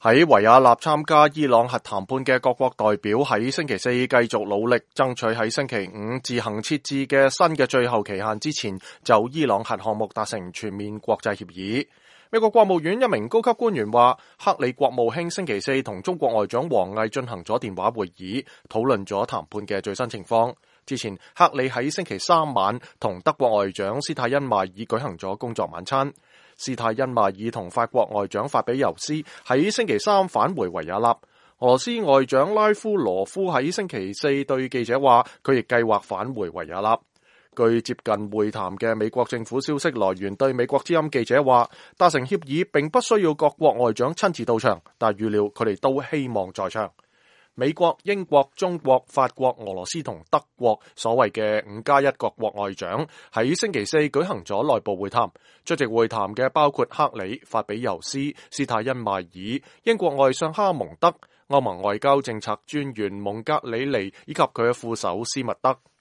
喺維也納參加伊朗核談判嘅各國代表喺星期四繼續努力爭取喺星期五自行設置嘅新嘅最後期限之前就伊朗核項目達成全面國際協議。美國國務院一名高級官員話，克里國務卿星期四同中國外長王毅進行咗電話會議，討論咗談判嘅最新情況。之前克里喺星期三晚同德國外長施泰因邁爾舉行咗工作晚餐。施泰因邁爾同法國外長法比尤斯喺星期三返回維也納。俄羅斯外長拉夫羅夫喺星期四對記者話，佢亦計劃返回維也納。據接近會談嘅美國政府消息來源對美國之音記者話，達成協議並不需要各國外長親自到場，但預料佢哋都希望在場。美國、英國、中國、法國、俄羅斯同德國所謂嘅5+1各國外長喺星期四舉行咗內部會談。出席會談嘅包括克里、法比尤斯、施泰因邁爾、英國外相哈蒙德、歐盟外交政策專員蒙格里尼以及佢嘅副手斯密德。